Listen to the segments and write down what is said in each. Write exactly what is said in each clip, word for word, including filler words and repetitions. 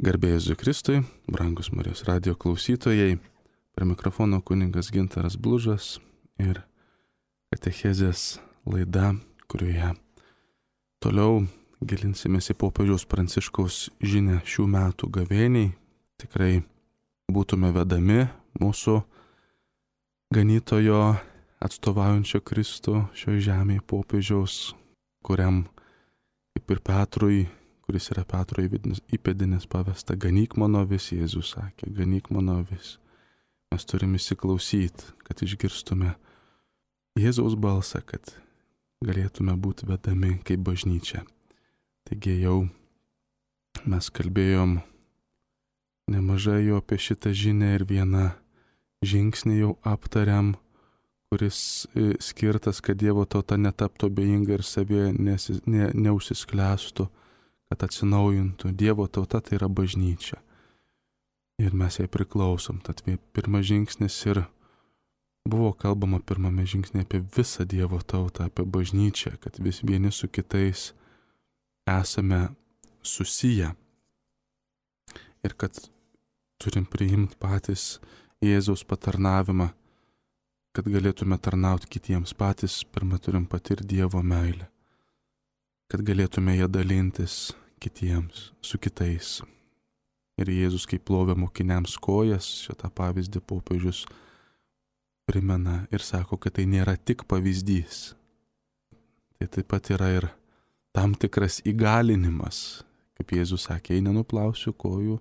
Garbė Jėzui Kristui, brangus Marijos radijo klausytojai, prie mikrofono kunigas Gintaras Blužas ir katechezės laida, kurioje toliau gilinsimės į popiežiaus Pranciškaus žinią šių metų gavėniai. Tikrai būtume vedami mūsų ganytojo atstovaujančio Kristų šioje žemėje popiežiaus, kuriam kaip ir Petrui, kuris yra Petro įpėdinis, pavesta ganyk mano avis, Jėzus sakė, ganyk mano avis. Mes turime įsiklausyti, kad išgirstume Jėzaus balsą, kad galėtume būti vedami kaip bažnyčia. Taigi jau mes kalbėjom nemažai jau apie šitą žinią ir vieną žingsnį jau aptariam, kuris skirtas, kad Dievo tauta netaptų abejinga ir savie nesi, ne, neužsisklęstų, kad atsinaujintų. Dievo tauta tai yra bažnyčia. Ir mes jai priklausom. Tad pirmas žingsnis ir buvo kalbama pirmame žingsnė apie visą Dievo tautą, apie bažnyčią, kad vis vieni su kitais esame susiję. Ir kad turim priimti patys Jėzaus patarnavimą, kad galėtume tarnauti kitiems. Patys pirmą turim patirti Dievo meilę, kad galėtume ją dalintis kitiems, su kitais. Ir Jėzus, kaip plovė mokiniams kojas, šitą pavyzdį popiežius primena ir sako, kad tai nėra tik pavyzdys. Tai taip pat yra ir tam tikras įgalinimas. Kaip Jėzus sakė, jei nenuplausiu kojų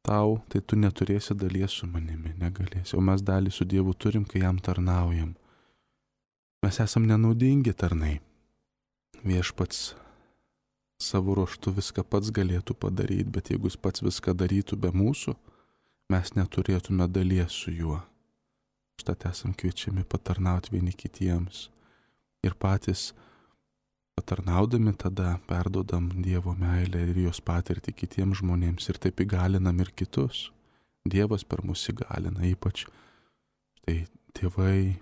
tau, tai tu neturėsi dalies su manimi, negalėsi. O mes dalį su Dievu turim, kai jam tarnaujam. Mes esam nenaudingi tarnai. Viešpats savo ruoštų viską pats galėtų padaryti, bet jeigu jis pats viską darytų be mūsų, mes neturėtume dalies su juo. Štat esam kviečiami patarnauti vieni kitiems. Ir patys patarnaudami tada perdodam Dievo meilę ir jos patirtį kitiems žmonėms ir taip įgalinam ir kitus. Dievas per mus įgalina, ypač tai tėvai,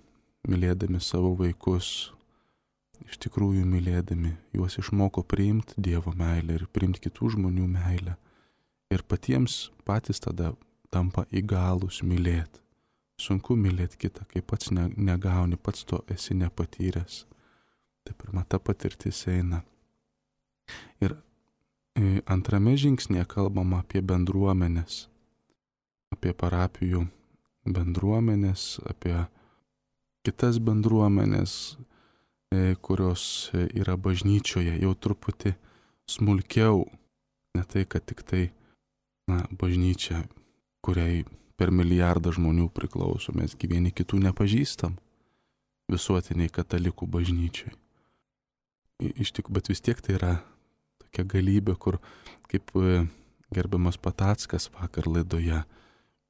mylėdami savo vaikus, iš tikrųjų mylėdami, juos išmoko priimti Dievo meilę ir priimti kitų žmonių meilę. Ir patiems patys tada tampa įgalūs mylėti. Sunku mylėti kitą, kai pats ne, negauni, pats to esi nepatyręs. Tai pirma ta patirtis eina. Ir antrame žingsnėje kalbama apie bendruomenės, apie parapijų bendruomenės, apie kitas bendruomenės, kurios yra bažnyčioje, jau truputį smulkiau, ne tai, kad tik tai na, bažnyčia, kuriai per milijardą žmonių priklauso, mes vieni kitų nepažįstam, visuotiniai katalikų bažnyčiai. Iš tik, bet vis tiek tai yra tokia galybė, kur, kaip gerbiamas Patackas vakar laidoje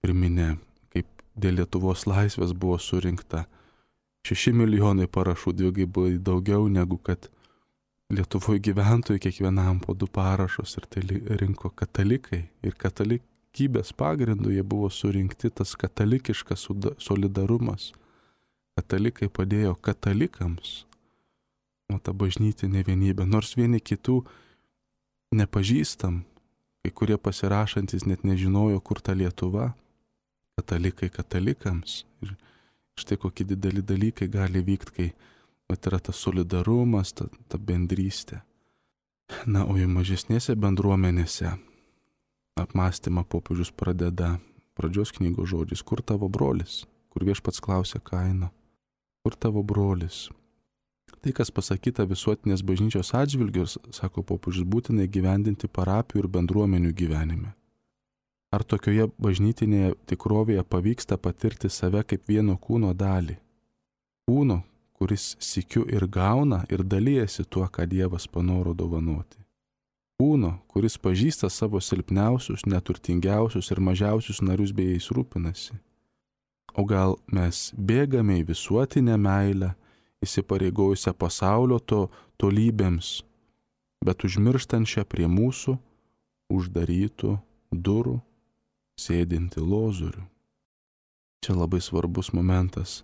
priminė, kaip dėl Lietuvos laisvės buvo surinkta šeši milijonai parašų, dvigubai daugiau negu kad Lietuvoje gyventojų kiekvienam po du parašus, ir tai rinko katalikai. Ir katalikybės pagrindu jie buvo surinkti, tas katalikiškas solidarumas. Katalikai padėjo katalikams, o ta bažnytinė vienybė, nors vieni kitų nepažįstam, kai kurie pasirašantis net nežinojo, kur ta Lietuva, katalikai katalikams. Ir štai kokie dideli dalykai gali vykti, kai vat, yra tas solidarumas, ta, ta bendrystė. Na, o jau mažesnėse bendruomenėse apmąstymą popiežius pradeda pradžios knygos žodžiais, kur tavo brolis, kur Viešpats klausia Kaino, kur tavo brolis. Tai, kas pasakyta visuotinės bažnyčios atžvilgiu, sako popiežius, būtinai gyvendinti parapijų ir bendruomenių gyvenime. Ar tokioje bažnytinėje tikrovėje pavyksta patirti save kaip vieno kūno dalį? Kūno, kuris sykiu ir gauna ir dalijasi tuo, ką Dievas panoro dovanoti. Kūno, kuris pažįsta savo silpniausius, neturtingiausius ir mažiausius narius bei jais rūpinasi. O gal mes bėgame į visuotinę meilę, įsipareigojusią pasaulio to tolybėms, bet užmirštančią prie mūsų uždarytų durų sėdinti lozorių. Čia labai svarbus momentas,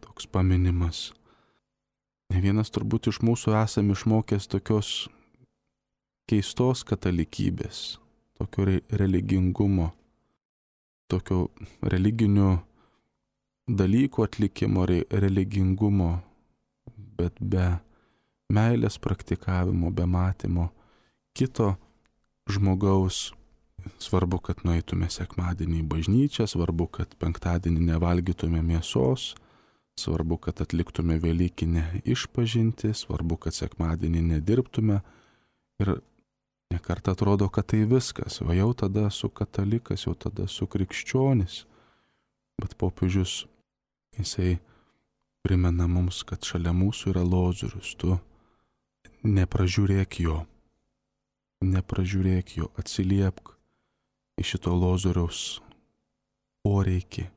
toks paminimas. Ne vienas turbūt iš mūsų esame išmokęs tokios keistos katalikybės, tokio re religingumo, tokio religinių dalykų atlikimo, re religingumo, bet be meilės praktikavimo, be matymo kito žmogaus. Svarbu, kad nueitume sekmadienį į bažnyčią, svarbu, kad penktadienį nevalgytume mėsos, svarbu, kad atliktume velykinę išpažintį, svarbu, kad sekmadienį nedirbtume. Ir nekartą atrodo, kad tai viskas, o jau tada esu katalikas, jau tada esu krikščionis. Bet popiežius, jisai primena mums, kad šalia mūsų yra Lozorius, tu nepražiūrėk jo, nepražiūrėk jo, atsiliepk į šito Lozoriaus poreikį.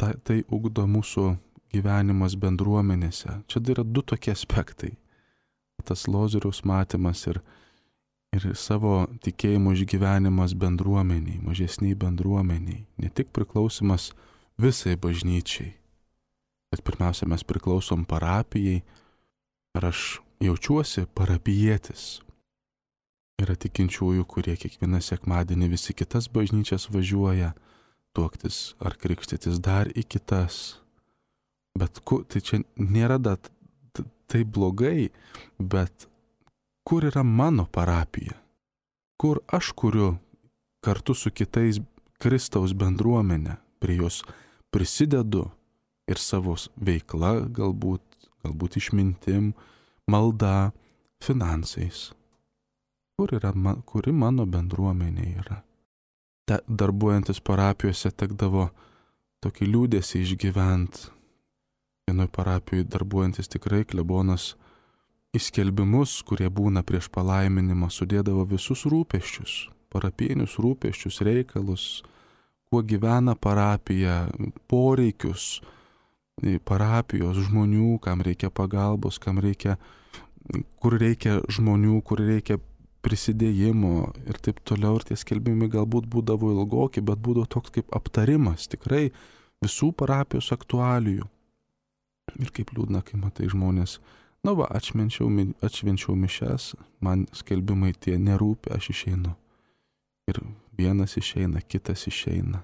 Ta, tai ugdo mūsų gyvenimas bendruomenėse. Čia yra du tokie aspektai. Tas Lozoriaus matymas ir, ir savo tikėjimo išgyvenimas bendruomeniai, mažesniai bendruomeniai. Ne tik priklausimas visai bažnyčiai, bet pirmiausia mes priklausom parapijai. Ar aš jaučiuosi parapijietis? Yra tikinčiųjų, kurie kiekvieną sekmadienį visi kitas bažnyčias važiuoja tuoktis ar krikštytis dar į kitas. Bet kur, tai čia nėra da, tai blogai, bet kur yra mano parapija? Kur aš kuriu kartu su kitais Kristaus bendruomenę, prie jos prisidedu ir savo veikla, galbūt, galbūt išmintim, malda, finansais. Kur yra, kuri mano bendruomenė yra? Ta, darbuojantis parapijose tekdavo tokį liūdėsį išgyvent. Vienoj parapijoje darbuojantis tikrai klebonas į skelbimus, kurie būna prieš palaiminimą, sudėdavo visus rūpesčius, parapijinius rūpesčius, reikalus, kuo gyvena parapija, poreikius parapijos žmonių, kam reikia pagalbos, kam reikia, kur reikia žmonių, kur reikia prisidėjimo ir taip toliau. Ir tie skelbimai galbūt būdavo ilgoki, bet būdavo toks kaip aptarimas tikrai visų parapijos aktualijų. Ir kaip liūdna, kai matai žmonės, na va, atšvenčiau, atšvenčiau mišes, man skelbimai tie nerūpi, aš išeinu. Ir vienas išeina, kitas išeina.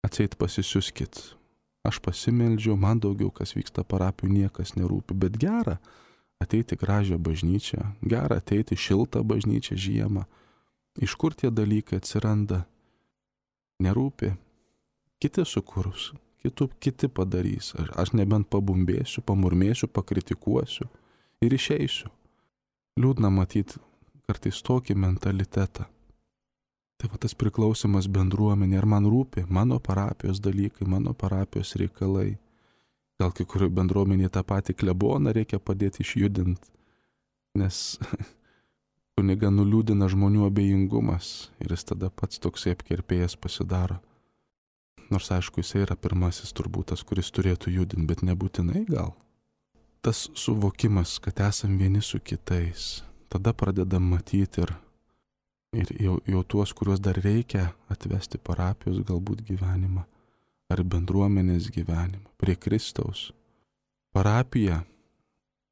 Atseit pasisiuskit. Aš pasimeldžiau, man daugiau kas vyksta parapijų niekas nerūpi, bet gera ateiti gražią bažnyčią, gera ateiti šiltą bažnyčią žiemą. Iš kur tie dalykai atsiranda? Nerūpi. Kiti sukurs, kitų, kiti padarys. Aš, aš nebent pabumbėsiu, pamurmėsiu, pakritikuosiu ir išeisiu. Liūdna matyti kartais tokį mentalitetą. Tai va tas priklausimas bendruomenė, ar man rūpi mano parapijos dalykai, mano parapijos reikalai. Gal kai kurio bendruomenėje tą patį kleboną reikia padėti išjudinti, nes kuniga nuliūdina žmonių abejingumas ir jis tada pats toksai apkerpėjęs pasidaro. Nors aišku, jisai yra pirmasis turbūt tas, kuris turėtų judinti, bet nebūtinai gal. Tas suvokimas, kad esam vieni su kitais, tada pradedam matyti ir, ir jau, jau tuos, kuriuos dar reikia atvesti parapijos galbūt gyvenimą ar bendruomenės gyvenimą prie Kristaus. Parapija,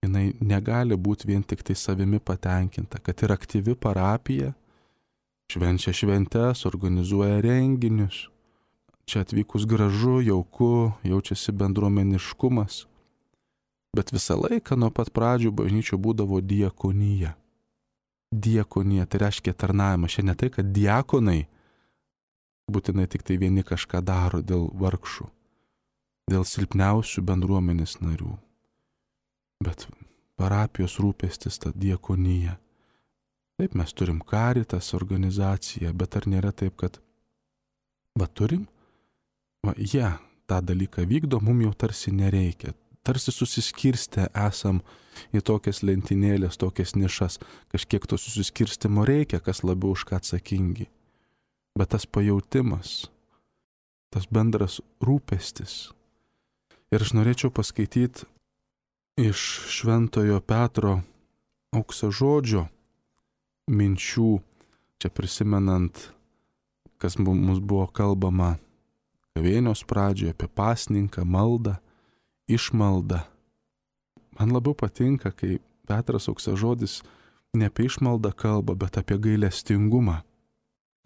jinai negali būti vien tik tai savimi patenkinta, kad ir aktyvi parapija švenčia šventes, organizuoja renginius. Čia atvykus gražu, jauku, jaučiasi bendruomeniškumas. Bet visą laiką nuo pat pradžių bažnyčio būdavo diakonija. Diakonija, tai reiškia tarnavimas. Šiandien ne tai, kad diakonai būtinai tik tai vieni kažką daro dėl vargšų, dėl silpniausių bendruomenės narių. Bet parapijos rūpestis ta diakonija. Taip, mes turim Caritas organizaciją, bet ar nėra taip, kad va turim, va jie ja, tą dalyką vykdo, mums jau tarsi nereikia. Tarsi susiskirstę esam į tokias lentynėlės, tokias nišas. Kažkiek to susiskirstimo reikia, kas labiau už ką atsakingi. Bet tas pajautimas, tas bendras rūpestis. Ir aš norėčiau paskaityti iš Šventojo Petro auksažodžio minčių, čia prisimenant, kas mums buvo kalbama gavėnios pradžioje apie pasninką, maldą, išmaldą. Man labiau patinka, kai Petras auksažodis ne apie išmaldą kalba, bet apie gailestingumą.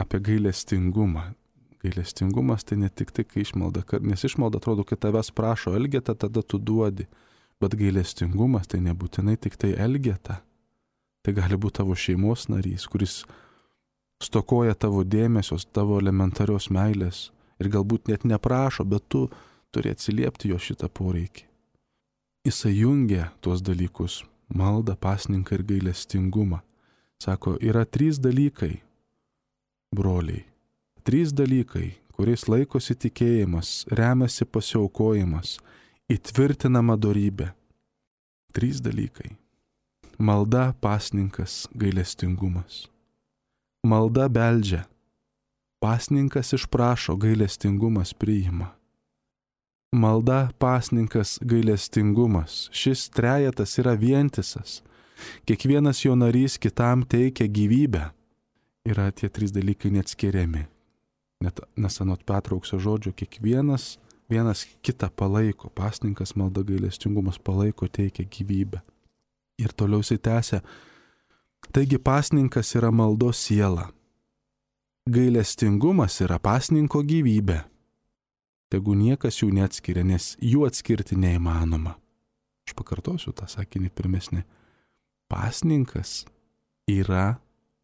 apie gailestingumą. Gailestingumas tai ne tik tai, kai išmalda, nes išmalda atrodo, kad tavęs prašo elgeta, tada tu duodi. Bet gailestingumas tai nebūtinai tik tai elgeta. Tai gali būti tavo šeimos narys, kuris stokoja tavo dėmesios, tavo elementarios meilės ir galbūt net neprašo, bet tu turi atsiliepti jo šitą poreikį. Jisai jungia tuos dalykus - maldą, pasninką ir gailestingumą. Sako, yra trys dalykai, broliai. Trys dalykai, kuriais laikosi tikėjimas, remiasi pasiaukojimas, įtvirtinama dorybė. Trys dalykai. Malda, pasninkas, gailestingumas. Malda beldžia. Pasninkas išprašo, gailestingumas priima. Malda, pasninkas, gailestingumas. Šis trejetas yra vientisas. Kiekvienas jo narys kitam teikia gyvybę. Yra tie trys dalykai neatskiriami. Net, nes anot Petro Aukso žodžio, kiekvienas vienas kitą palaiko. Pasninkas, malda, gailestingumas palaiko, teikia gyvybę. Ir toliau jisai tęsia. Taigi pasninkas yra maldos siela. Gailestingumas yra pasninko gyvybė. Tegu niekas jų neatskiria, nes jų atskirti neįmanoma. Aš pakartosiu tą sakinį pirmesnį. Pasninkas yra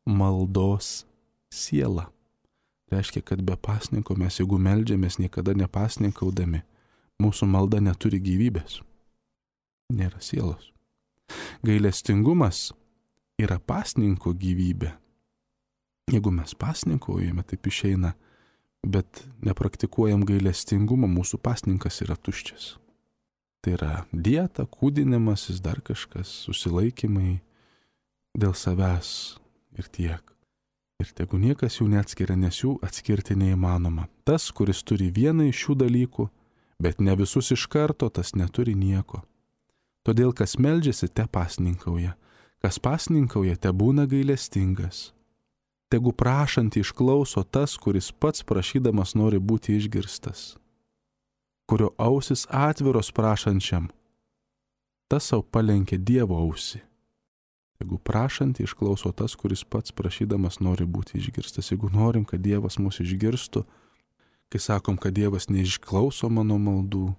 maldos siela. Reiškia, kad be pasninko mes, jeigu meldžiamės niekada nepasninkaudami, mūsų malda neturi gyvybės. Nėra sielos. Gailestingumas yra pasninko gyvybė. Jeigu mes pasninkaujame, taip išeina, bet nepraktikuojam gailestingumą, mūsų pasninkas yra tuščias. Tai yra dieta, kūdinimasis, dar kažkas, susilaikymai dėl savęs ir tiek. Ir tegu niekas jų neatskiria, nes jų atskirti neįmanoma. Tas, kuris turi vieną iš šių dalykų, bet ne visus iš karto, tas neturi nieko. Todėl, kas meldžiasi, te pasninkauja. Kas pasninkauja, te būna gailestingas. Tegu prašantį išklauso tas, kuris pats prašydamas nori būti išgirstas. Kurio ausis atviros prašančiam, tas savo palenkė Dievo ausį. Jeigu prašantį išklauso tas, kuris pats prašydamas nori būti išgirstas. Jeigu norim, kad Dievas mūsų išgirstų, kai sakom, kad Dievas neišklauso mano maldų,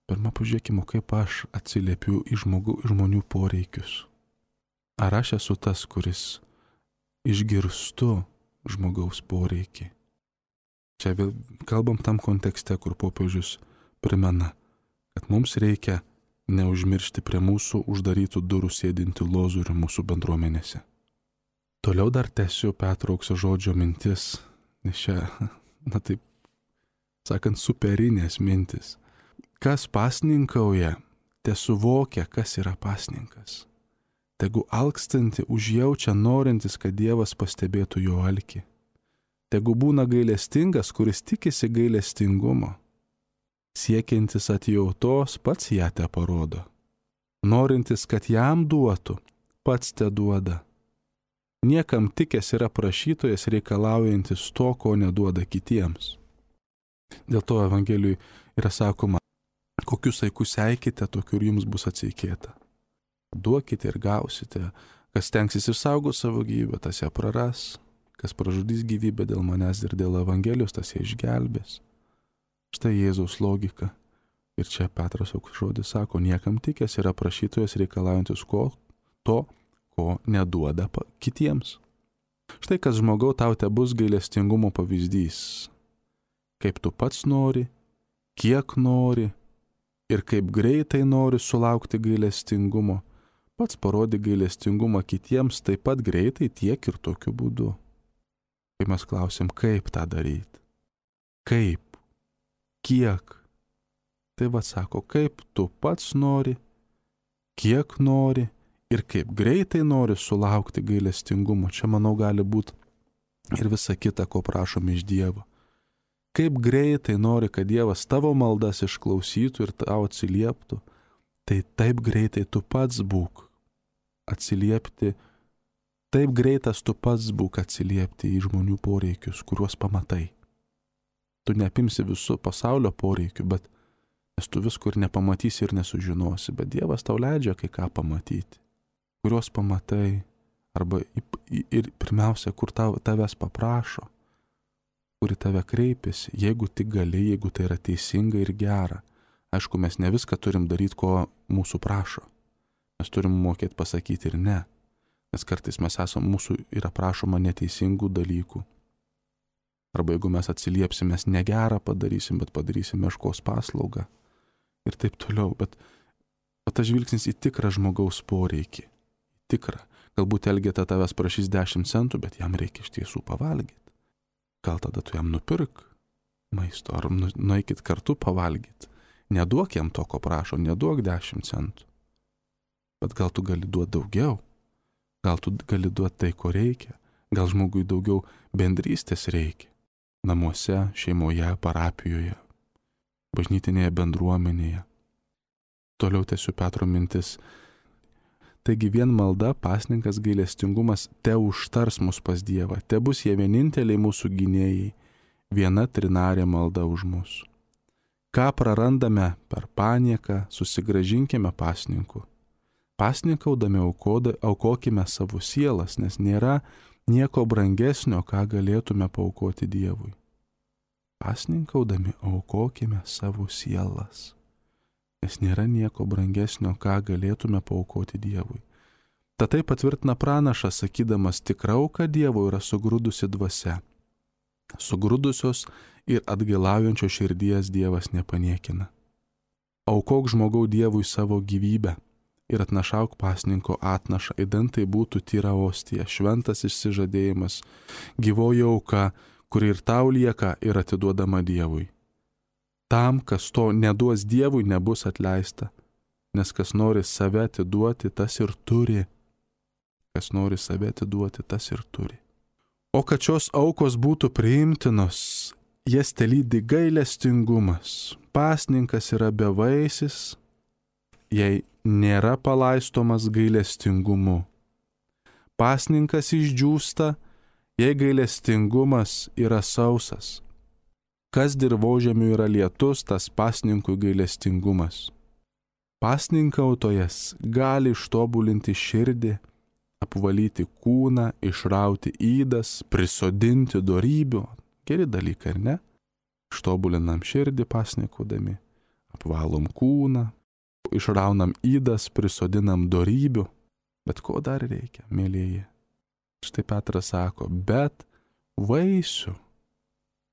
pirmą pažiūrėkime, kaip aš atsiliepiu į žmogų, į žmonių poreikius. Ar aš esu tas, kuris išgirstu žmogaus poreikį? Čia vėl kalbam tam kontekste, kur popiežius primena, kad mums reikia neužmiršti prie mūsų uždarytų durų sėdinti lozorių mūsų bendruomenėse. Toliau dar tęsiu Petro Aukso žodžio mintis, nes čia, na taip, sakant, superinės mintis. Kas pasninkauja, te suvokia, kas yra pasninkas. Tegu alkstanti užjaučia norintis, kad Dievas pastebėtų jo alkį. Tegu būna gailestingas, kuris tikisi gailestingumo. Siekiantis atjautos, pats ją te parodo. Norintis, kad jam duotų, pats te duoda. Niekam tikęs yra prašytojas reikalaujantis to, ko neduoda kitiems. Dėl to Evangelijui yra sakoma, kokius saikus eikite, tokiu ir jums bus atseikėta. Duokite ir gausite, kas tenksis išsaugoti savo gyvybę, tas ją praras, kas pražudys gyvybę dėl manęs ir dėl Evangelijos, tas ją išgelbės. Štai Jėzaus logika. Ir čia Petras Aukso žodis sako, niekam tikęs yra prašytojas reikalaujantis ko, to, ko neduoda kitiems. Štai kas žmogau tau te bus gailestingumo pavyzdys. Kaip tu pats nori, kiek nori ir kaip greitai nori sulaukti gailestingumo, pats parodi gailestingumą kitiems taip pat greitai tiek ir tokiu būdu. Kai mes klausim, kaip tą daryti? Kaip? Kiek? Tai va sako, kaip tu pats nori, kiek nori ir kaip greitai nori sulaukti gailestingumo. Čia, manau, gali būti ir visa kita, ko prašom iš Dievo. Kaip greitai nori, kad Dievas tavo maldas išklausytų ir tau atsilieptų, tai taip greitai tu pats būk atsiliepti, taip greitas tu pats būk atsiliepti į žmonių poreikius, kuriuos pamatai. Tu neapimsi visų pasaulio poreikių, bet nes tu visko ir nepamatysi ir nesužinosi, bet Dievas tau leidžia kai ką pamatyti, kuriuos pamatai, arba ir pirmiausia, kur tavęs paprašo, kuri tave kreipiasi, jeigu tik gali, jeigu tai yra teisinga ir gera. Aišku, mes ne viską turim daryti, ko mūsų prašo. Mes turim mokėti pasakyti ir ne. Nes kartais mes esam, mūsų yra prašoma neteisingų dalykų. Arba jeigu mes atsiliepsim, mes negerą padarysim, bet padarysim meškos paslaugą. Ir taip toliau. Bet, bet tas žvilgsnis į tikrą žmogaus poreikį. Tikrą. Galbūt Elgeta tavęs prašys dešimt centų, bet jam reikia iš tiesų pavalgyti. Gal tada tu jam nupirk maisto, ar nu, nueikit kartu pavalgyti. Neduok jam to, ko prašo, neduok dešimt centų. Bet gal tu gali duoti daugiau. Gal tu gali duoti tai, ko reikia. Gal žmogui daugiau bendrystės reikia. Namuose, šeimoje, parapijoje, bažnytinėje bendruomenėje. Toliau tęsiu Petro mintis. Taigi vien malda, pasninkas, gailestingumas te užtars mus pas Dievą. Te bus jie vieninteliai mūsų gynėjai, viena trinarė malda už mus. Ką prarandame per panieką, susigražinkime pasninku. Pasninkaudami aukoda, aukokime savo sielas, nes nėra nieko brangesnio, ką galėtume paaukoti Dievui. Pasninkaudami aukokime savo sielas. Nes nėra nieko brangesnio, ką galėtume paaukoti Dievui. Tad tai patvirtina pranašas, sakydamas, tikra auka Dievo yra sugrūdusi dvasia. Sugrūdusios ir atgailaujančios širdies Dievas nepaniekina. Aukok žmogau Dievui savo gyvybę ir atnašauk pasninko atnašą, idant tai būtų tyra ostija, šventas išsižadėjimas, gyvoji auka, kuri ir tau lieka ir atiduodama Dievui. Tam, kas to neduos Dievui, nebus atleista, nes kas nori save atiduoti, tas ir turi. Kas nori save atiduoti, tas ir turi. O kad šios aukos būtų priimtinos, jas telydi gailestingumas. Pasninkas yra bevaisis, jei nėra palaistomas gailestingumu. Pasninkas išdžiūsta, jei gailestingumas yra sausas. Kas dirvožemiui yra lietus, tas pasninkui gailestingumas. Pasninkautojas gali ištobulinti širdį, apvalyti kūną, išrauti ydas, prisodinti dorybių. Geri dalykai, ar ne? Ištobulinam širdį pasninkaudami, apvalom kūną, išraunam ydas, prisodinam dorybių. Bet ko dar reikia, mėlyje? Štai Petras sako, bet vaisių,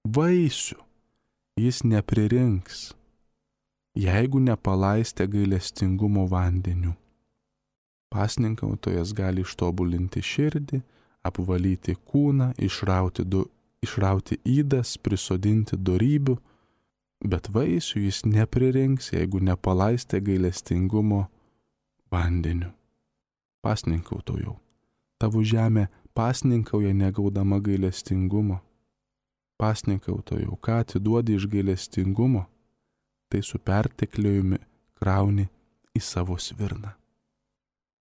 vaisių jis nepririnks, jeigu nepalaistė gailestingumo vandeniu. Pasninkautojas gali ištobulinti širdį, apvalyti kūną, išrauti, du, išrauti ydas, prisodinti dorybių, bet vaisių jis nepririnks, jeigu nepalaistė gailestingumo vandeniu. Pasninkautojau, tavo žemė pasninkauja negaudama gailestingumo. Pasninkautojau, ką atiduodi iš gailestingumo, tai su pertekliujumi krauni į savo svirną.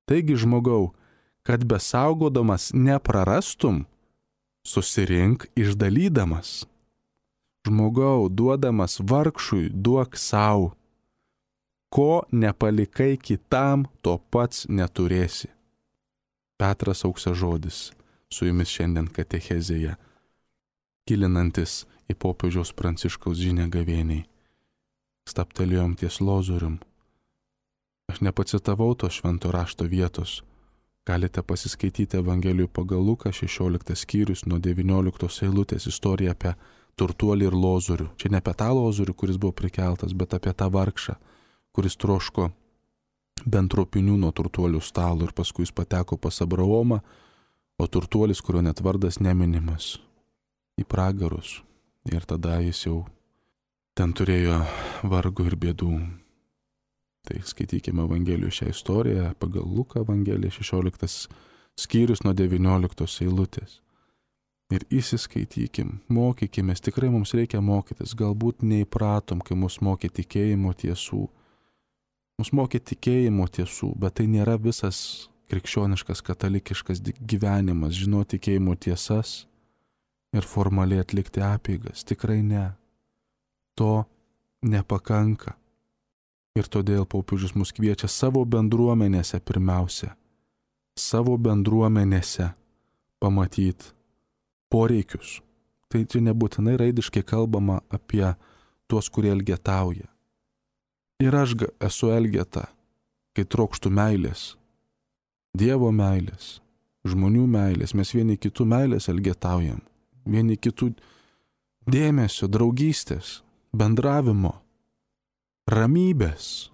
Taigi, žmogau, kad besaugodamas neprarastum, susirink išdalydamas. Žmogau, duodamas vargšui, duok sau. Ko nepalikai kitam, to pats neturėsi. Petras Auksažodis su jumis šiandien katechezėje, gilinantis į popiežiaus Pranciškaus žinią gavėniai. Staptelėjom ties Lozorium. Aš nepacitavau to švento rašto vietos. Galite pasiskaityti Evangelijų pagal Luką šešioliktas skyrius nuo devynioliktos eilutės istoriją apie turtuolį ir Lozorių. Čia ne apie tą Lozorių, kuris buvo prikeltas, bet apie tą vargšą, kuris troško bent tropinių nuo turtuolių stalo ir paskui jis pateko pas Abraomą, o turtuolis, kurio net vardas neminimas, į pragarus. Ir tada jis jau ten turėjo vargo ir bėdų. Tai skaitykime Evangelijų šią istoriją pagal Luką Evangeliją šešioliktas skyrius nuo devynioliktos eilutės. Ir įsiskaitykim, mokykimės, tikrai mums reikia mokytis, galbūt neįpratom, kai mus mokė tikėjimo tiesų. Mus mokė tikėjimo tiesų, bet tai nėra visas krikščioniškas, katalikiškas gyvenimas, žinoti tikėjimo tiesas ir formaliai atlikti apeigas. Tikrai ne. To nepakanka. Ir todėl popiežius mus kviečia savo bendruomenėse pirmiausia, savo bendruomenėse pamatyti poreikius. Tai čia nebūtinai raidiškai kalbama apie tuos, kurie elgetauja. Ir aš esu elgeta, kai trokštų meilės, Dievo meilės, žmonių meilės, mes vieni kitų meilės elgetaujam, vieni kitų dėmesio, draugystės, bendravimo, ramybės,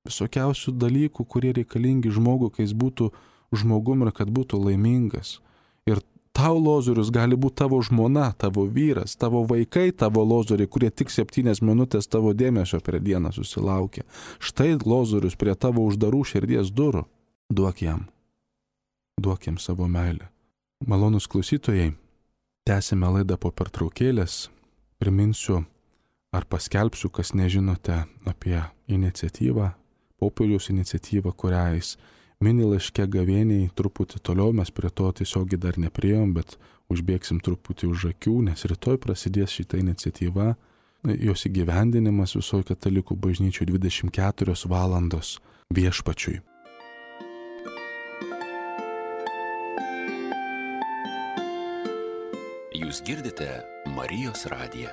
visokiausių dalykų, kurie reikalingi žmogui, kai jis būtų žmogum ir kad būtų laimingas. Ir tau lozorius gali būti tavo žmona, tavo vyras, tavo vaikai, tavo lozoriai, kurie tik septynias minutės tavo dėmesio per dieną susilaukia. Štai lozorius prie tavo uždarų širdies durų. Duok jam. Duok jam savo meilę. Malonus klausytojai, tęsime laidą po pertraukėlės. Priminsiu ar paskelbsiu, kas nežinote apie iniciatyvą, popiežiaus iniciatyvą, kurią jis mini laiške gavėniai. Truputį toliau mes prie to tiesiogiai dar nepriejom, bet užbėgsim truputį už akių, nes rytoj prasidės šita iniciatyva, jos įgyvendinimas visoje katalikų bažnyčių dvidešimt keturios valandos viešpačiui. Jūs girdite Marijos radiją.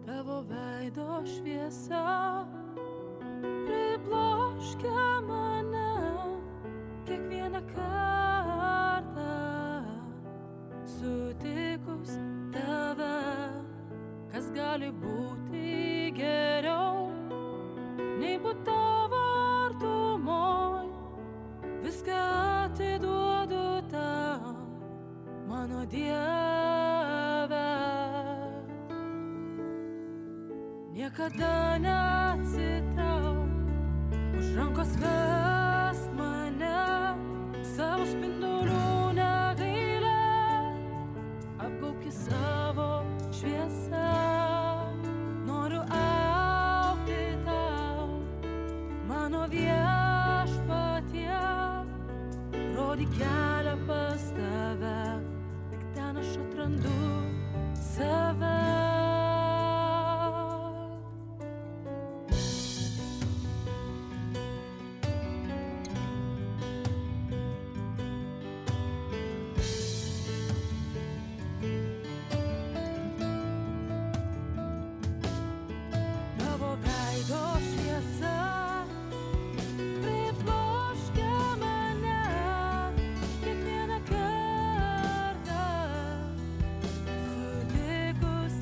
Tavo veido šviesa pribloškia mane kiekvieną kartą sutikus tave, kas gali būti geriau nei būt tavo artumoj. Viską atiduodu tau, mano Dieve. Niekada neatsitrauk, už rankos vesk mane, savo spindulių negailėk, apgaubki savo šviesą. Noriu augti tau, mano viešpatie, rodyk kelią pas tave, tik ten aš atrandu save. Kiekvieną kartą sutikus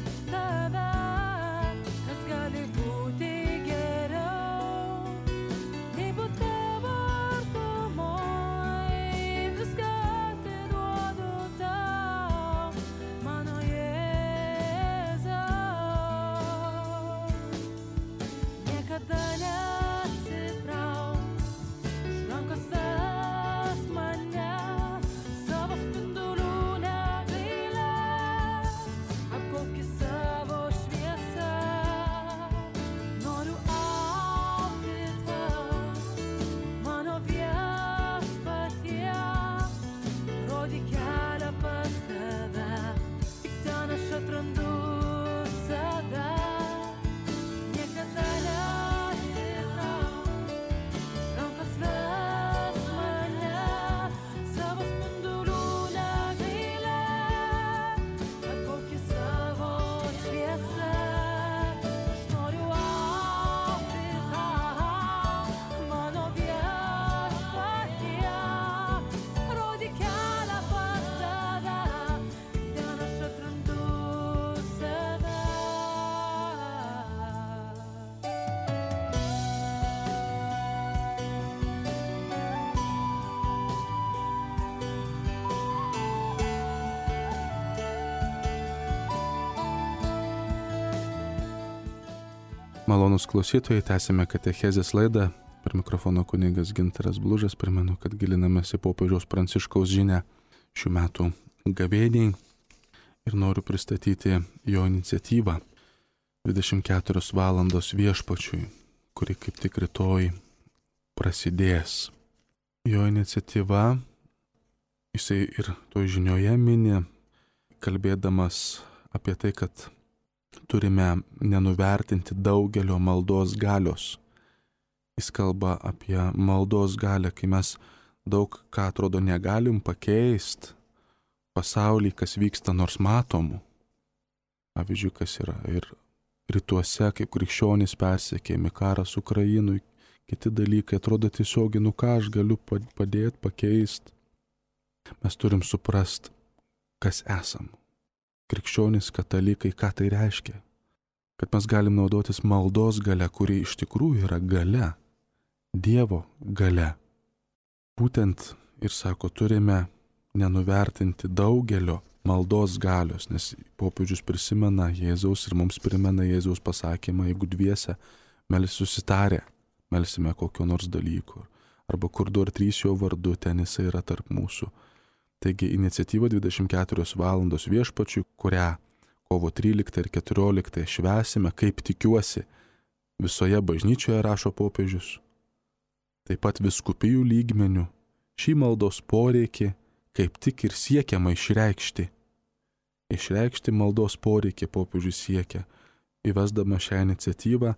Malonus klausytojai, tęsime katechezės laidą. Per mikrofono kunigas Gintaras Blužas. Primenu, kad gilinamės į popiežiaus Pranciškaus žinią šių metų gavėniai ir noriu pristatyti jo iniciatyvą dvidešimt keturios valandos viešpačiui, kuri kaip tik rytoj prasidės. Jo iniciatyva, jisai ir to žinioje mini, kalbėdamas apie tai, kad turime nenuvertinti daugelio maldos galios. Jis kalba apie maldos galią, kai mes daug ką atrodo negalim pakeisti pasaulį, kas vyksta nors matomų. Pavyzdžiui, kas yra ir rytuose, kaip krikščionys persekėjami, karas Ukrainui, kiti dalykai, atrodo tiesiogiai, nu ką aš galiu padėti, pakeisti. Mes turim suprast, kas esam. Krikščionys, katalikai, ką tai reiškia? Kad mes galim naudotis maldos galia, kuri iš tikrųjų yra galia, Dievo galia. Būtent ir sako, turime nenuvertinti daugelio maldos galios, nes popiežius prisimena Jėzaus ir mums primena Jėzaus pasakymą, jeigu dviese melis susitarę, melsime kokio nors dalyko, arba kur du ar trys jo vardu, ten jisai yra tarp mūsų. Taigi iniciatyva dvidešimt keturios valandos viešpačiui, kurią kovo tryliktą ir keturioliktą švęsime, kaip tikiuosi, visoje bažnyčioje, rašo popiežius. Taip pat vyskupijų lygmenių šį maldos poreikį kaip tik ir siekiama išreikšti. Išreikšti maldos poreikį popiežius siekia, įvesdama šią iniciatyvą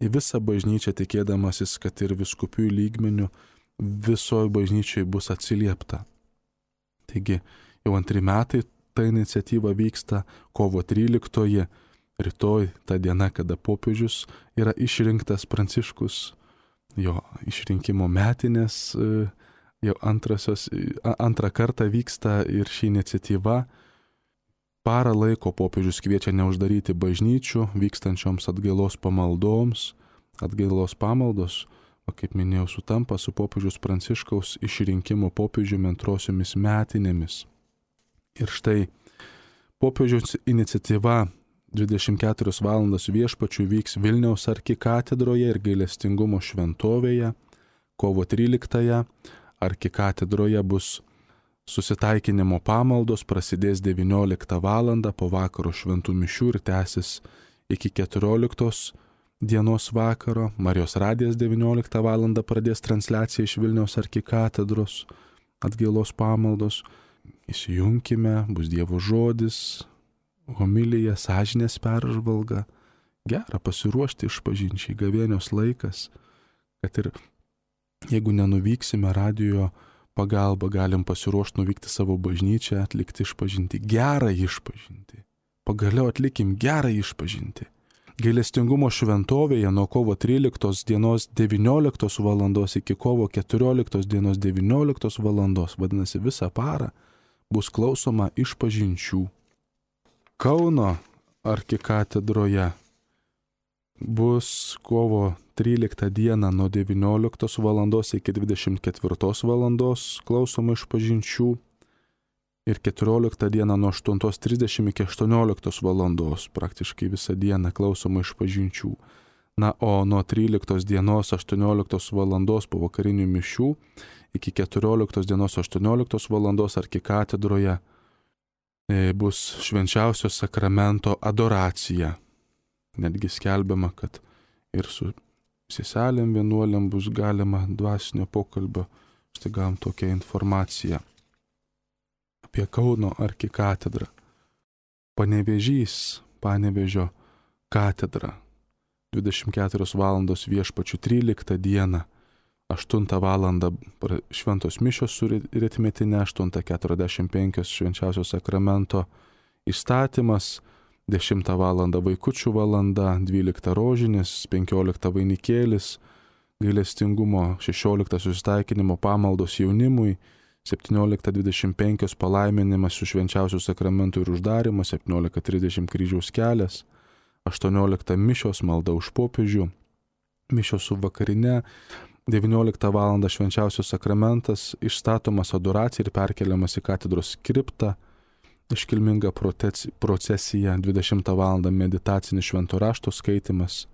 į visą bažnyčią, tikėdamasis, kad ir vyskupijų lygmenių visoje bažnyčioje bus atsiliepta. Taigi jau antri metai ta iniciatyva vyksta, kovo tryliktoji, rytoj ta diena, kada popiežius yra išrinktas Pranciškus, jo išrinkimo metinės, jau antrasios, antrą kartą vyksta ir ši iniciatyva. Parą laiko popiežius kviečia neuždaryti bažnyčių, vykstančioms atgailos pamaldoms. Atgailos pamaldos, o kaip minėjau, sutampa su popiežiaus Pranciškaus išrinkimo popiežiumi antrosiomis metinėmis. Ir štai popiežiaus iniciatyva dvidešimt keturios valandos viešpačiui vyks Vilniaus arkikatedroje ir gailestingumo šventovėje. Kovo tryliktąją arkikatedroje bus susitaikinimo pamaldos, prasidės devynioliktą valandą po vakaro šventų mišių ir tęsis iki keturioliktos dienos vakaro. Marijos radijas devynioliktą valandą pradės transliaciją iš Vilniaus arkikatedros atgailos pamaldos. Įsijunkime, bus Dievo žodis, homilija, sąžinės peržvalga. Gera pasiruošti išpažinčiai, gavėnios laikas, kad ir jeigu nenuvyksime radijo pagalba, galim pasiruošti nuvykti savo bažnyčią, atlikti išpažinti, gerą išpažinti. Pagaliau atlikim gerą išpažinti. Gailestingumo šventovėje nuo kovo tryliktos dienos devynioliktos valandos iki kovo keturioliktos dienos devynioliktos valandos, vadinasi visą parą, bus klausoma išpažinčių. Kauno arkikatedroje bus kovo tryliktą dieną nuo devynioliktos valandos iki dvidešimt ketvirtos valandos klausoma išpažinčių ir keturioliktą dieną nuo aštuntos trisdešimt iki aštuonioliktos valandos praktiškai visą dieną klausoma išpažinčių. Na, o nuo tryliktos dienos aštuonioliktos valandos po vakarinių mišių iki keturioliktos dienos aštuonioliktos valandos arkikatedroje bus švenčiausio sakramento adoracija. Netgi skelbiama, kad ir su seselėm vienuolėm bus galima dvasinio pokalbio. Štai gavom tokią informaciją apie Kauno arkikatedrą. Panevėžys, Panevėžio katedra. dvidešimt keturios valandos viešpačių tryliktą dieną. aštuntą valandą šventos mišios su ritmetinė, aštuntą keturiasdešimt penkios švenčiausio sakramento įstatymas, dešimtą valandą vaikučių valanda, dvyliktą rožinis, penkioliktą vainikėlis, gailestingumo, šešioliktą susitaikinimo pamaldos jaunimui, septynioliktą dvidešimt penkios palaiminimas su švenčiausiu sakramentu ir uždarimas, septyniolika trisdešimt kryžiaus kelias, aštuonioliktą mišios malda už popiežių, mišios su vakarine, devynioliktą valandą švenčiausios sakramentas, išstatomas adoracija ir perkeliamas į katedros kriptą, iškilminga procesija, dvidešimtą valandą meditacinis švento rašto skaitimas,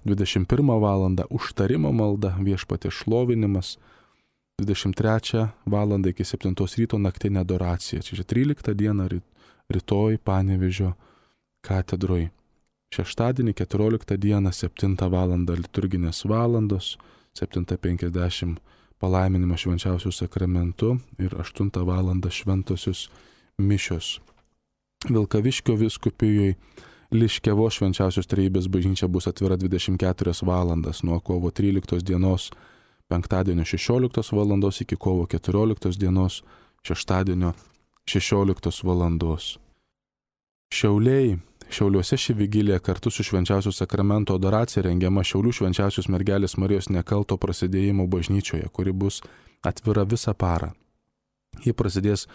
dvidešimt pirmą valandą užtarimo malda, Viešpaties šlovinimas, dvidešimt trečią valandą iki septintos ryto naktinė adoracija. Čia tryliktą dieną rytoj Panevėžio katedroj. Šeštadienį keturioliktą dieną septintą valandą liturginės valandos, septinta penkiasdešimt palaiminimas švenčiausių sakramentu ir aštuntą valandą šventosios mišios. Vilkaviškio vyskupijoje Liškiavos švenčiausios trejybės bažnyčia bus atvira dvidešimt keturias valandas nuo kovo tryliktos dienos penktadienio šešioliktos valandos iki kovo keturioliktos dienos šeštadienio šešioliktos valandos. Šiauliai. Šiauliuose ši vigilija kartu su švenčiausių sakramento adoracija rengiama Šiaulių švenčiausios mergelės Marijos nekalto prasidėjimo bažnyčioje, kuri bus atvira visą parą. Ji prasidės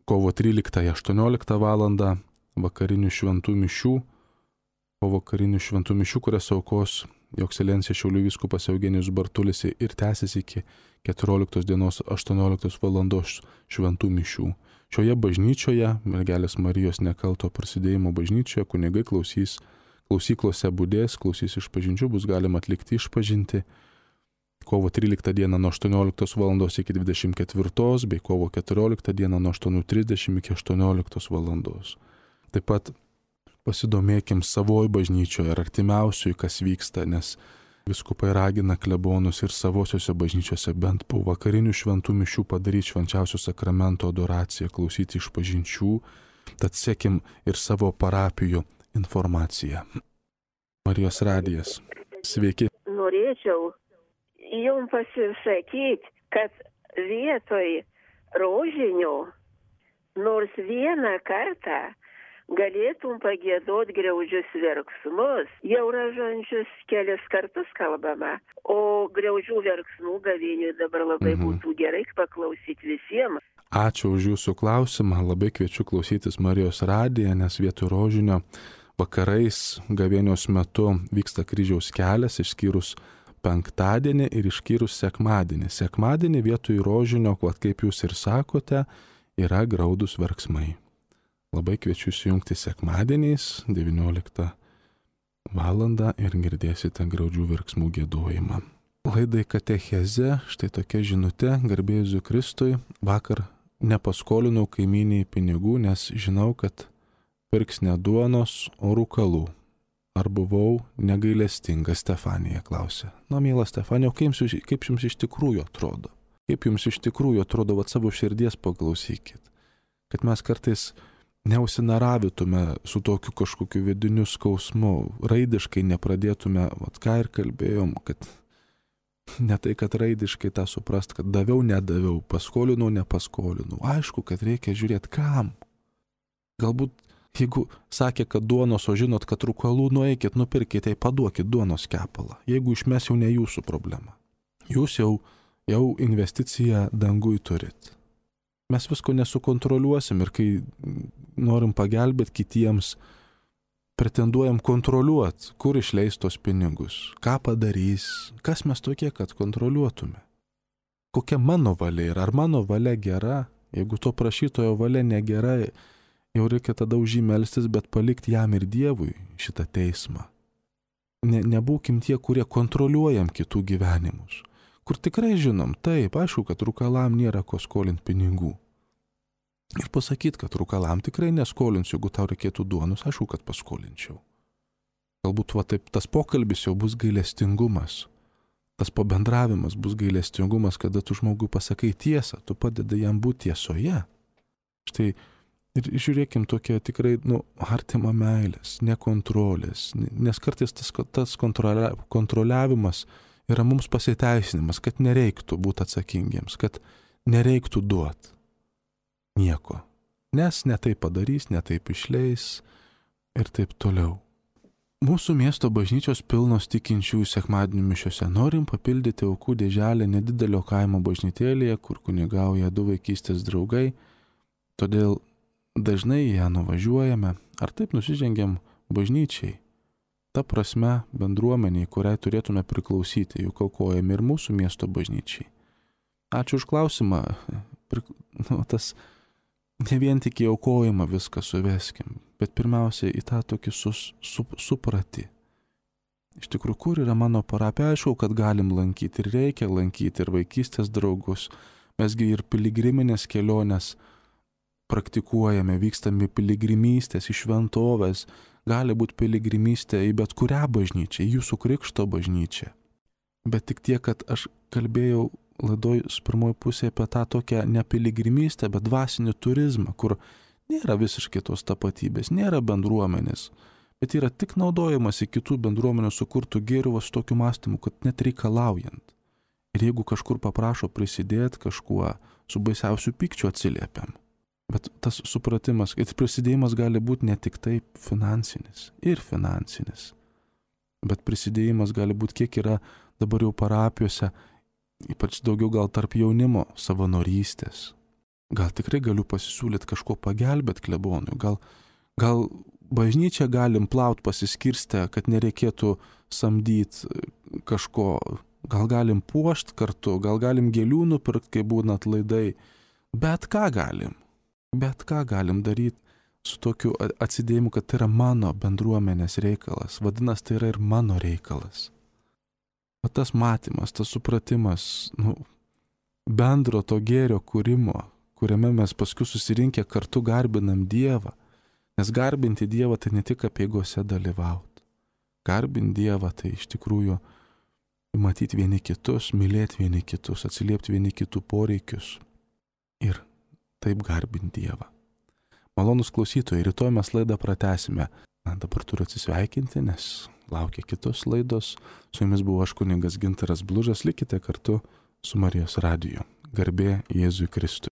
kovo tryliktąją aštuonioliktą valandą vakarinių šventų mišių, po vakarinių šventų mišių, kurias aukos Jo ekscelencija Šiaulių vyskupas Eugenijus Bartulis ir tęsis iki keturioliktos dienos aštuonioliktos valandos šventų mišių. Šioje bažnyčioje, mergelės Marijos nekalto prasidėjimo bažnyčioje, kunigai klausys, klausyklose budės, klausys išpažinčių, bus galima atlikti išpažinti kovo tryliktą dieną nuo aštuonioliktos valandos iki dvidešimt ketvirtos, bei kovo keturioliktą dieną nuo aštuonių trisdešimt iki aštuonioliktos valandos. Taip pat pasidomėkim savoj bažnyčioje ar artimiausiui, kas vyksta, nes vyskupai ragina klebonus ir savosiuose bažnyčiose bent po vakarinių šventų mišių padaryti švenčiausio sakramento adoraciją, klausyti išpažinčių, tad sekim ir savo parapijų informaciją. Marijos radijas. Sveiki. Norėčiau jums pasisakyti, kad vietoj rožinio nors vieną kartą galėtum pagėdot griaudžius verksmus. Jau ražančius kelias kartus kalbama, o griaudžių verksmų gavėniui dabar labai mhm. būtų gerai paklausyti visiems. Ačiū už jūsų klausimą, labai kviečiu klausytis Marijos radiją, nes vietoj rožinio vakarais gavėnios metu vyksta kryžiaus kelias, išskyrus penktadienį ir išskyrus sekmadienį. Sekmadienį vietoj rožinio, kaip jūs ir sakote, yra graudus verksmai. Labai kviečiu įsijungti sekmadieniais devynioliktą valandą ir girdėsite graudžių verksmų giedojimą. Laidai katecheze, štai tokia žinutė, garbė Jėzui Kristui, vakar nepaskolinau kaimyniai pinigų, nes žinau, kad pirks ne duonos, o rūkalų. Ar buvau negailestinga, Stefanija klausė. Na, miela Stefanija, kaip jums, kaip jums iš tikrųjų atrodo? Kaip jums iš tikrųjų atrodo, vat savo širdies paklausykit. Kad mes kartais neužsinaravitume su tokiu kažkokiu vidiniu skausmu, raidiškai nepradėtume, vat ką ir kalbėjom, kad ne tai, kad raidiškai tą suprast, kad daviau, nedaviau, paskolinau, nepaskolinau. Aišku, kad reikia žiūrėti kam. Galbūt, jeigu sakė, kad duonos, o žinot, kad rūkalų, nueikit, nupirkite, paduokit duonos kepalą. Jeigu išmes, jau ne jūsų problema. Jūs jau, jau investiciją dangui turit. Mes visko nesukontroliuosim ir kai norim pagelbėti kitiems, pretenduojam kontroliuoti, kur išleis tos pinigus, ką padarys, kas mes tokie, kad kontroliuotume. Kokia mano valia yra, ar mano valia gera, jeigu to prašytojo valia negera, jau reikia tada už jį melstis, bet palikti jam ir Dievui šitą teismą. Ne, nebūkim tie, kurie kontroliuojam kitų gyvenimus. Kur tikrai žinom, taip, aišku, kad rūkalam nėra ko skolinti pinigų. Ir pasakyti, kad rūkalam tikrai neskolinsiu, jeigu tau reikėtų duonos, aišku, kad paskolinčiau. Galbūt va taip tas pokalbis jau bus gailestingumas. Tas pabendravimas bus gailestingumas, kada tu žmogui pasakai tiesą, tu padedi jam būti tiesoje. Štai ir žiūrėkim tokia tikrai, nu, artima meilės, nekontrolės, nes kartais tas, tas kontrolia, kontroliavimas yra mums pasiteisinimas, kad nereiktų būti atsakingiems, kad nereiktų duoti nieko. Nes ne taip padarys, ne taip išleis ir taip toliau. Mūsų miesto bažnyčios pilnos tikinčiųjų sekmadienių mišiose. Norim papildyti aukų dėželę nedidelio kaimo bažnytėlėje, kur kunigauja du vaikystės draugai, todėl dažnai ją nuvažiuojame, ar taip nusižengiam bažnyčiai. Ta prasme bendruomeniai, kuriai turėtume priklausyti, juk aukojame ir mūsų miesto bažnyčiai. Ačiū už klausimą. Nu, tas ne vien tik į aukojimą viską suveskim, bet pirmiausia į tą tokį sus, su, supratį. Iš tikrųjų, kur yra mano parapija? Aišku, kad galim lankyti ir reikia lankyti ir vaikystės draugus. Mesgi ir piligriminės kelionės praktikuojame, vykstame piligrimystės į šventovės. Gali būti piligrimystė į bet kurią bažnyčią, į jūsų krikšto bažnyčią. Bet tik tiek, kad aš kalbėjau laidoj pirmoji pusė apie tą tokią ne piligrimystę, bet dvasinį turizmą, kur nėra visiškai tos tapatybės, nėra bendruomenės, bet yra tik naudojamas į kitų bendruomenių sukurtų gėrių su tokiu mąstymu, kad net reikalaujant. Ir jeigu kažkur paprašo prisidėti kažkuo, su baisiausiu pykčiu atsiliepiam. Bet tas supratimas, kad prisidėjimas gali būti ne tik taip finansinis, ir finansinis, bet prisidėjimas gali būti, kiek yra dabar jau parapijose, ypač daugiau gal tarp jaunimo savanorystės. Gal tikrai galiu pasisiūlyti kažko pagelbėti klebonui, gal, gal bažnyčią galim plaut pasiskirstę, kad nereikėtų samdyti kažko, gal galim puošti kartu, gal galim gėlių nupirkti, kai būna atlaidai, bet ką galim, bet ką galim daryti su tokiu atsidėjimu, kad tai yra mano bendruomenės reikalas, vadinasi, tai yra ir mano reikalas. O tas matymas, tas supratimas, nu, bendro to gėrio kūrimo, kuriame mes paskui susirinkę kartu garbinam Dievą, nes garbinti Dievą tai ne tik apeigose dalyvauti. Garbinti Dievą tai iš tikrųjų matyti vieni kitus, mylėti vieni kitus, atsiliepti vieni kitų poreikius ir taip garbinti Dievą. Malonus klausytojai, rytoj mes laidą pratęsime. Na, dabar turiu atsisveikinti, nes laukia kitos laidos. Su jumis buvo aš kunigas Gintaras Blužas, likite kartu su Marijos radiju. Garbė Jėzui Kristui.